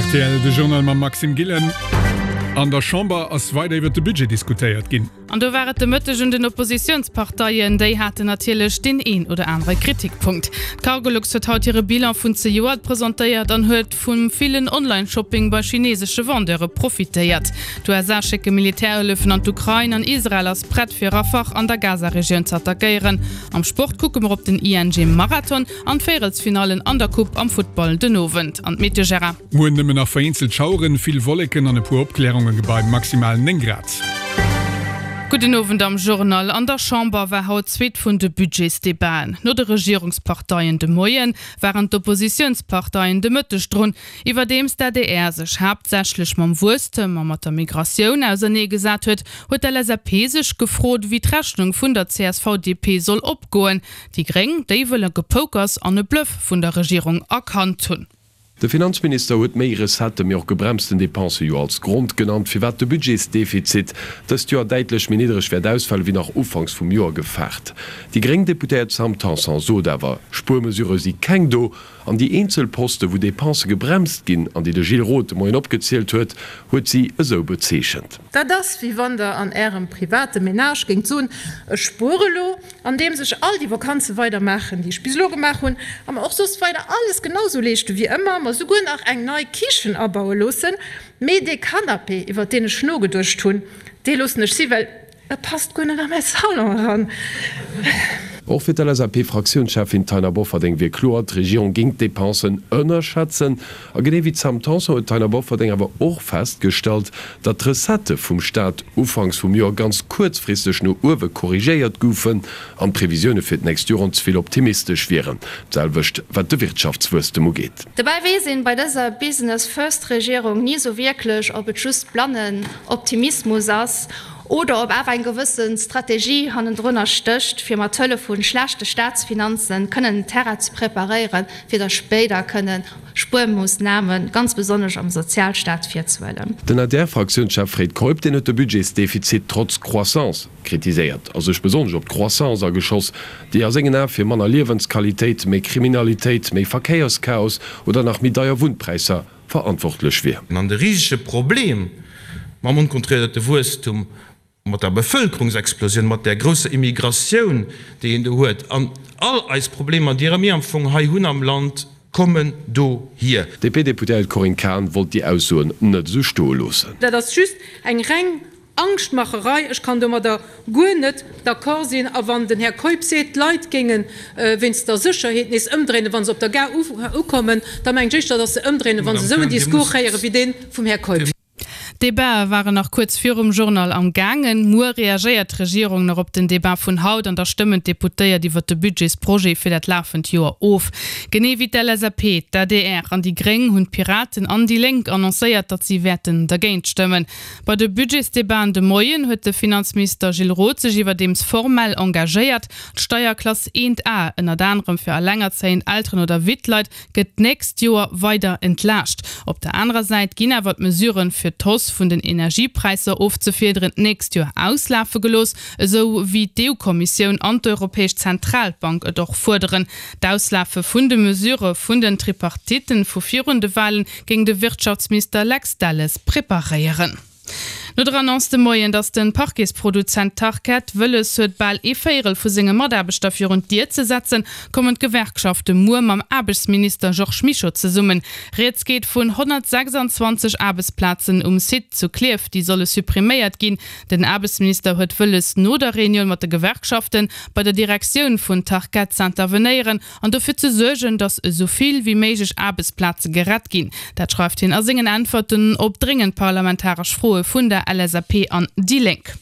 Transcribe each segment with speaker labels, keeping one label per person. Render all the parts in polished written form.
Speaker 1: Rtl, De Journal mam Maxime Gillen. An der Chamber ass weider iwwert de Budget diskutéiert ginn.
Speaker 2: An do war et de Mëtteg un den Oppositiounsparteien. Déi haten natierlech deen een oder anere Kritikpunkt. D'Cargolux huet haut hire Bilan vun zejoert presentéiert an huet vum villen Online-Shopping bei chinesesche Vendeure profitéiert. D'USA schécke Militärhëllefen an d'Ukrain an Israel ass prett fir Rafah an der Gaza-Regioun ze attackéieren. Am Sport kucke mer op den ING-Marathon an d'Véierelsfinallen an der Coupe am Futtball den Owend. An d'Meteo, Gérard?
Speaker 1: Muer nëmmen nach vereenzelt Schaueren, vill Wolleken an e puer Opklärunge bei maximal 9 Grad.
Speaker 2: Gudden Owend am Journal. An der Chamber war haut d'zweet vun de Budgetsdebaten. No de Regierungsparteien de Moien, waren d'Oppositiounsparteien de Mëtteg drun. Iwwerdeems d'ADR sech haaptsächlech mam Wuesstem a mat der Migratioun ausernee gesat huet, huet d'LSAP sech gefrot, wéi d'Rechnung vun der CSV-DP soll opgoen. Déi Gréng, déi wëlle Gepokers an e Bluff vun der Regierung erkannt hunn.
Speaker 3: De Finanzminister huet méi Recettë mee och gebremsten Depensë jo als Grond genannt, firwat de Budgetsdefizit dëst Joer däitlech méi niddereg wäert ausfalen, wéi nach ufanks vum Joer gefaart. Déi gréng Deputéiert Sam Tanson sot awer, Spuermesurë si keng do an déi eenzel Poste wou Depensë gebremst ginn an déi de Gilles Roth de Moien opgezielt huet, huet si esou bezeechent.
Speaker 4: Dat ass, wéi wann Der an Ärem private Menage géingt soen, Ech spuere elo, andeems ech all déi Vakanze weider maachen, déi ech bis elo gemaach hunn, a mer och soss weider alles genau sou leeschte wéi ëmmer, mer souguer nach eng nei Kichen abaue loossen, mee dee Canapé, iwwer deen ech nogeduecht hunn, dee loossen ech si, well e passt guer net a mäi Salon eran.
Speaker 3: Och fir d'LSAP-Fraktiounscheffin Taina Bofferding wier kloer, d'Regierung géing d'Depensen ënnerschätzen. A genee wéi d'Sam Tanson huet d'Taina Bofferding awer och festgestallt, datt d'Recettë vum Staat ufanks vum Joer ganz kuerzfristeg no uewe korrigéiert goufen an d'Previsioune fir d'nächst Joren ze vill optimistesch wieren. D'selwecht wat de Wirtschaftswuesstem ugeet.
Speaker 5: Dobäi weess een bei dëser Business First Regierung ni sou wierklech, ob et just blannen Optimismus ass oder ob awer eng gewësse Strategie hannendrunner stécht, fir mat Hëllef vu schlechte Staatsfinanzen kënnen den Terrain ze preparéieren, fir da spéider kënnen Spuermoossnamen, ganz besonnesch am Sozialstaat, virzehuelen.
Speaker 3: Den ADR-Fraktiounschef Fred Keup, deen huet de Budgetsdefizit trotz Croissance kritiséiert a sech besonnesch op d'Croissance ageschoss, déi a sengen Ae fir manner Liewensqualitéit, méi Kriminalitéit, méi Verkéierschaos oder nach méi deier Wunnpräisser verantwortlech wier.
Speaker 6: An de risege Problem mam onkontrolléierte Wuesstum Mat der Bevëlkerungsexplosioun, mat där grousser Immigratioun, déi een do huet, an all eis Problemer, déi mir am Fong hei hunn am Land, kommen dohier.
Speaker 3: D'DP-Deputéiert Corinne Cahen wollt déi Aussoen net esou stoe loossen.
Speaker 4: Dat ass just eng reng Angschtmacherei. Ech kann domadder guer net d'accord sinn. A wann den Här Keup seet, d'Leit géinge wéinst der Sécherheet nees ëmdréinen, wa se op der Gare ukommen, da mengen ech éischter, datt se ëmdréinen, wa se esou en Discours héiere wéi dee vum Här Keup.
Speaker 2: D'Debatë waren nach kuerz virum Journal am gaangen. Muer reagéiert d'Regierung nach op den Debat vun haut an da stëmmen d'Deputéiert iwwer de Budgetsprojet fir dat lafend Joer of. Genee wéi d'LSAP, d'ADR an déi Gréng hunn d'Piraten an déi Lénk annoncéiert, datt si wäerten dergéint stëmmen. Bei de Budgetsdebaten de Moien huet de Finanzminister Gilles Roth sech iwwerdeems formell engagéiert, d'Steierklass 1 A, ënnert anerem fir allengerzéiend Elteren oder Wittleit, gëtt d'nächst Joer weider entlaascht. Op der anerer Säit ginn awer d'Mesuren, fir d'Hausse vun den Energiepräisser ofzefiederen, d'nächst Joer auslafe gelooss, esou wéi d'EU-Kommissioun an d'Europäesch Zentralbank et och fuerderen. D'Auslafe vun de Mesurë vun den Tripartitten vu virun de Walen géing de Wirtschaftsminister Lex Delles preparéieren. No der Annonce de Moien, datt de Parquetsproduzent Tarkett wëlles huet, bal ee Véierel vu senge Mataarbechter virun d'Dier ze setzen, kommen d'Gewerkschafte muer mam Aarbechtsminister Georges Mischo zesummen. Rieds geet vun 126 Aarbechtsplazen um Site zu Klierf, déi solle suppriméiert ginn. Den Aarbechtsminister huet wëlles, no der Reunioun mat de Gewerkschaften, bei der Direktioun vun Tarkett z'intervenéieren an dofir ze suergen, datt esou vill wéi méiglech Aarbechtsplaze gerett ginn. Dat schreift hien a sengen Äntwerten op dréngend parlamentaresch Froe vun der LSAP an déi Lénk.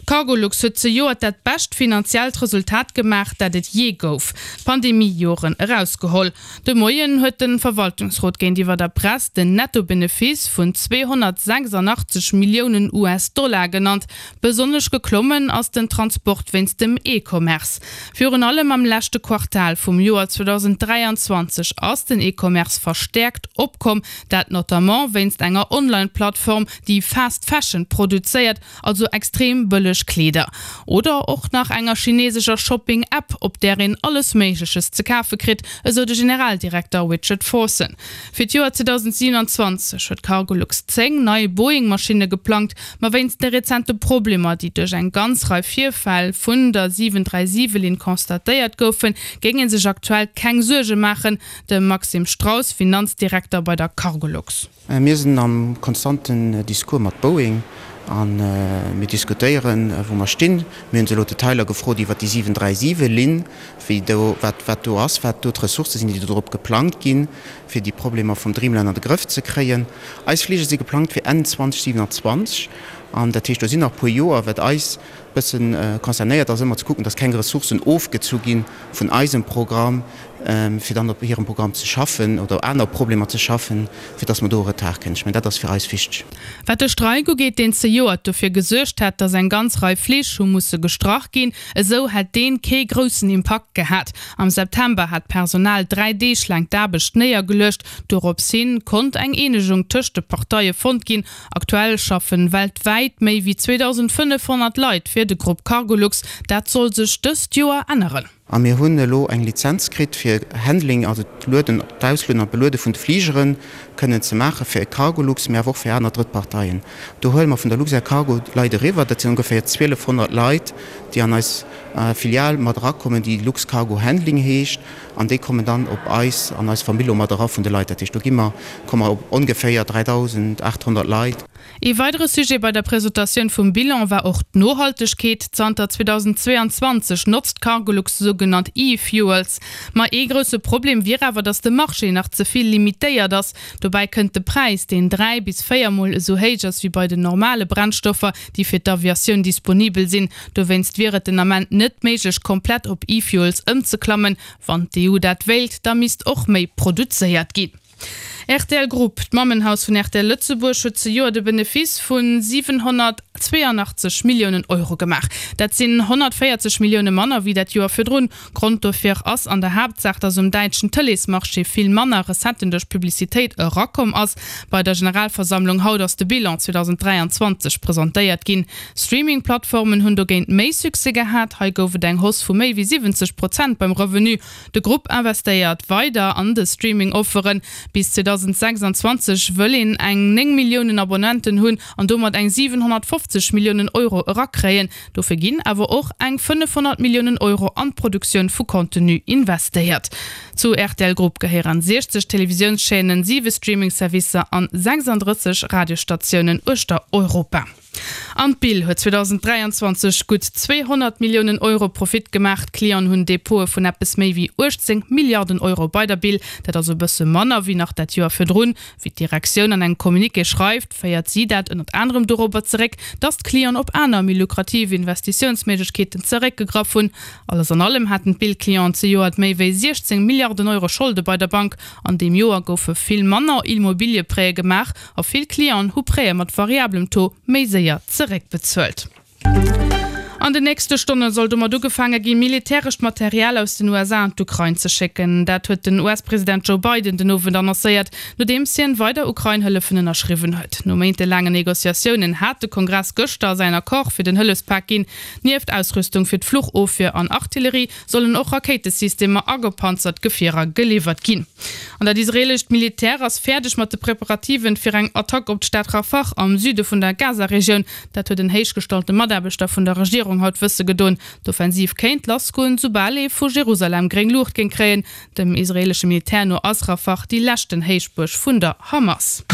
Speaker 2: Cargolux huet zejoert dat bescht finanziellt Resultat gemaach, dat et jee gouf, d'Pandemie-Joren erausgeholl. De Moien huet de Verwaltungsrot géintiwwer der Press den Netto-Benefice vun 286 Milliounen US-Dollar genannt. Besonnesch geklommen ass den Transport wéinst dem E-Commerce. Virun allem am leschte Quartal vum Joer 2023 ass den E-Commerce verstäerkt opkomm, dat notamment wéinst enger Online-Plattform, déi Fast Fashion produzéiert, also extrem bëlleg. bëlleg Kleeder. Oder och nach enger chinesescher Shopping-App, op där een alles Méigleches ze kafe kritt, esou de Generaldirekter Richard Forson. Fir d'Joer 2027 huet Cargolux 10 nei Boeing-Maschinne geplangt, ma wéinst de rezente Problemer, déi duerch eng ganz Rei Virfäll vun der 737-Linn constatéiert goufen, géing ee sech aktuell keng Suerge maachen, De Maxime Strauss, Finanzdirekter bei der Cargolux.
Speaker 7: Mir sinn am konstanten Discours mat Boeing a mir diskutéieren, wou mer stinn. Mir hunn se elo d'Detailer gefrot iwwert déi 737-Linn, wéi do, wat, wat do ass, wat do d'Ressourcë sinn, déi do drop geplangt ginn, fir déi Problemer vum Dreamliner an de Grëff ze kréien. Eis Fliger si geplangt fir Enn 2027 an dat heescht, do sinn nach e puer Joer. Wat eis bësse concernéiert, ass ëmmer ze kucken, dass keng Ressourcen ofgezu gi vun eisem Programm, fir dann op hirem Programm ze schaffen oder aner Problemer ze schaffen, fir dass mer do e Retard kréien. Ech mengen, dat ass fir eis wichteg.
Speaker 2: Wat de Streik ugeet, deen zejoert dofir gesuergt hat, dass eng ganz Rei Flich hu musse gestrach ginn, esou hätt deen kee groussen Impakt gehat. Am September hat d'Personal 3 Deeg laang d'Aarbecht néiergeluecht. Dorops hin konnt eng Eenegung tëscht de Parteie fonnt ginn. Aktuell schaffen weltwäit méi wéi 2.500 Leit fir de Grupp Cargolux. Dat soll sech dëst Joer änneren.
Speaker 7: A mir hunn elo eng Lizenz kritt fir Handling, also d'Lueden, d'Auslueden an d'Beluede vun de Fligere kënnen ze maache fir Cargolux, mee awer och fir aner Drëttparteien. Do huele mer vun der Luxair Cargo Leit eriwwer. Dat sinn ongeféier 1.200 Leit, déi an eis Filial mat erakommen, déi Luxcargo Handling heescht. An déi kommen dann op eis, an eis Famill mat era vun de Leit. Dat heescht, do gi mer, komme mer op ongeféier 3.800 Leit.
Speaker 2: Ee weidere Sujet bei der Presentatioun vum Bilan war och d'Nohaltegkeet. Zanter 2022 notzt Cargolux sougenannt E-Fuels. Ma ee grousse Problem wier awer, datt de Marché nach ze vill limitéiert ass. Dobäi kënnt de Präis, deen 3 bis 4 Mol esou héich ass wéi bei den normale Brennstoffer, déi fir d'Aviatioun disponibel sinn. Dowéinst wier et den Ament net méiglech, komplett op E-Fuels ëmzeklammen. Wann d'EU dat wéilt, da misst och méi produzéiert ginn. Rtl Group, d'Mammenhaus vun rtl Lëtzebuerg, huet zejoert e Benefice vu 782 Milliounen Euro gemaach. Dat sinn 140 Millioune manner wéi dat Joer virdrun. Grond dofir ass an der Haaptsaach, datt um däitschen Tëleesmarché vill manner Recetten duerch Publicitéit erakomm ass. Bei der Generalversammlung haut ass de Bilan 2023 presentéiert ginn. Streaming-Plattformen hunn dogéint méi Succès gehat. Hei gouf et eng Hausse vu méi wéi 70 Prozent beim Revenu. De Grupp investéiert weider an de Streaming-Offeren. Bis 2026 wëll een eng 9 Milliounen Abonnenten hunn an domat eng 750 Milliounen Euro erakréien. Dofir ginn awer och eng 500 Milliounen Euro an d'Produktioun vu Contenu investéiert. Zu rtl Group gehéieren 60 Televisiounschaînen, 7 Streaming-Servicer an 36 Radiosstatiounen uechter Europa. An d'Bill huet 2023 gutt 200 Milliounen Euro Profit gemaach. D'Clienten hunn Depote vun eppes méi wéi 18 Milliarden Euro bei der Bill. Dat ass e bësse manner wéi nach dat Joer virdrun. Wéi d'Direktioun an engem Communiqué schreift, féiert si dat ënnert anerem dorobber zeréck, datt d'Clienten op aner, méi lukrativ Investitiounsméiglechkeeten zeréckgegraff hunn. Alles an allem haten d'Bill-Clienten zejoert méi wéi 16 Milliarden Euro Scholde bei der Bank. An deem Joer goufe vill manner Immobiliëprêtë gemaach. A vill Clienten hu Prêtë mat variablem Taux méi séier zeréckbezuelt. An den nächste Stonne soll domat ugefaange ginn, militärescht Material aus den USA an d'Ukrain ze schécken. Dat huet den US-President Joe Biden den Owend annoncéiert, nodeems hien weider Ukrain-Hëllefen ënnerschriwwen huet. No méintelaangen Negociatiounen hat de Kongress gëschter säin Accord fir den Hëllefspak ginn. Nieft Ausrüstung fir d'Fluchofwier an Artillerie sollen och Rakéitesystemer a gepanzert Gefierer geliwwert ginn. An dat israeelescht Militär ass fäerdeg mat de Preparativen fir eng Attack op d'Stad Rafah am Süde vun der Gaza-Regioun. Dat huet en héichgestallte Mataarbechter vun der Regierung haut wësse gedoen. D'Offensiv kéint lassgoen, soubal ee vu Jerusalem gréng Luucht géing kréien. Dem israeelesche Militär no ass Rafah déi leschten Héichbuerg vun der Hamas.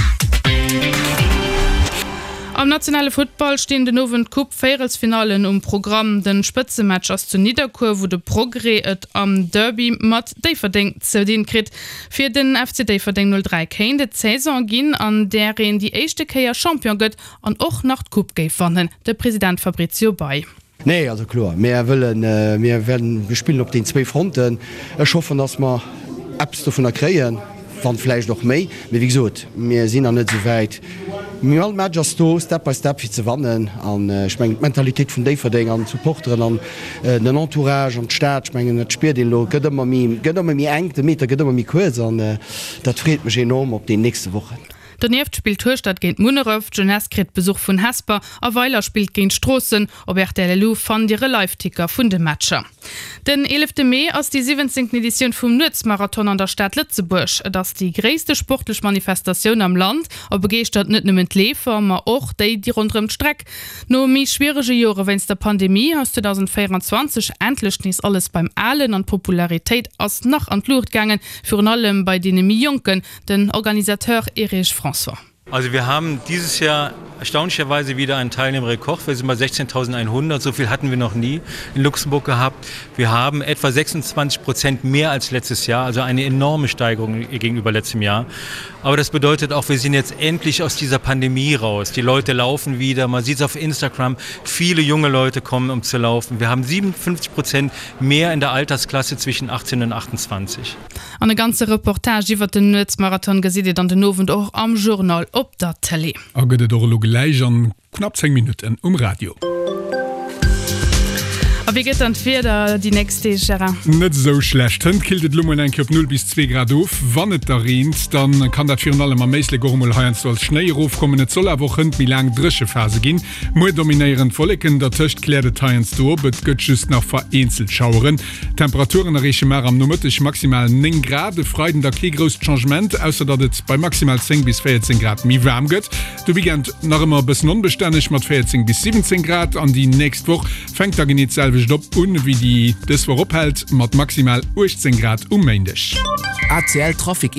Speaker 2: Am nationale Futtball stinn den Owend d'Coupe-Véierelsfinallen um Programm. Den Spëtzematch ass zu Nidderkuer, wou de Progrès et am Derby mat Déifferdeng ze dinn kritt. Fir den FC Déifferdeng 03 kéint et d'Saison ginn, an där een déi éischte Kéier Champion gëtt an och nach d'Coupe géif wannen. De President Fabrizio Bei.
Speaker 8: Nee, also kloer, mir wëllen, mir werden, mir spillen op den zwéi Fronten. Ech hoffen, dass mer eppes dovunner kréien, wann vläicht och méi. Mee wéi gesot, mir sinn nach net esou wäit. Mee all Match ass do, Step by Step, fir ze wannen. An ech mengen, d'Mentalitéit vun Déifferdeng an d'Supporteren an den Entourage an d'Stad, ech mengen, dat spiert een elo, gëtt ëmmer méi, gëtt ëmmer méi enk, de Meter gëtt ëmmer méi kuerz an dat freet mech enorm op déi nächste Wochen.
Speaker 2: Donieft spillt Hueschtert géint Munneref, d'Jeunesse kritt Besuch vun Hesper a Weiler spillt géint Stroossen. Op rtl Lu fannt Dir e Liveticker vun de Matcher. Den eelefte Mee ass déi siwwenzéngten Editioun vum Nuetsmarathon an der Stad Lëtzebuerg. Et ass déi gréisste sportlech Manifestatioun am Land a begeeschtert net nëmmen d'Leefer, ma och déi, déi ronderëm d'Streck. No méi schwierege Jore wéinst der Pandemie ass 2024 endlech nees alles beim Alen an d'Popularitéit ass nach an d'Luucht gaangen, virun allem bei deene méi Jonken. Den Organisateur Erich François.
Speaker 9: Also wir haben dieses Jahr erstaunlicherweise wieder einen Teilnehmerrekord. Wir sind bei 16.100, so viel hatten wir noch nie in Luxemburg gehabt. Wir haben etwa 26 Prozent mehr als letztes Jahr, also eine enorme Steigerung gegenüber letztem Jahr. Aber das bedeutet auch, wir sind jetzt endlich aus dieser Pandemie raus. Die Leute laufen wieder, man sieht es auf Instagram, viele junge Leute kommen, um zu laufen. Wir haben 57 Prozent mehr in der Altersklasse zwischen 18 und 28.
Speaker 2: An e ganze Reportage iwwert den Nuetsmarathon gesitt Dir dann den Owend och am Journal op der Tëlee.
Speaker 1: A gëtt et och elo gläich an knapp 10 Minutten um Radio.
Speaker 2: A wéi gëtt dann d'Wieder déi nächst Deeg, Gérard?
Speaker 1: Net esou schlecht. Hënt killt et elo mol eng Kéier op 0 bis 2 Grad of. Wann et da reent, da kann dat virun allem am Éislek och emol heiansdo als Schnéi erofkommen. Et soll awer och hënt méi laang dréche Phase ginn. Muer dominéieren d'Wolleken, dertëscht kläert et heiansdo op, et gëtt just nach vereenzelt Schaueren. D'Temperaturen erreeche mar am Nomëtteg maximal 9 Grad, e Freiden da kee grousst Changement, ausser datt et bei maximal 10 bis 14 Grad méi waarm gëtt. De Weekend nach ëmmer e bëssen onbestänneg mat 14 bis 17 Grad an déi nächst Woch fänkt da genee d'selwecht op un wéi déi dës Woch ophält, mat maximal 18 Grad um Méindeg.
Speaker 10: ACL Trafic.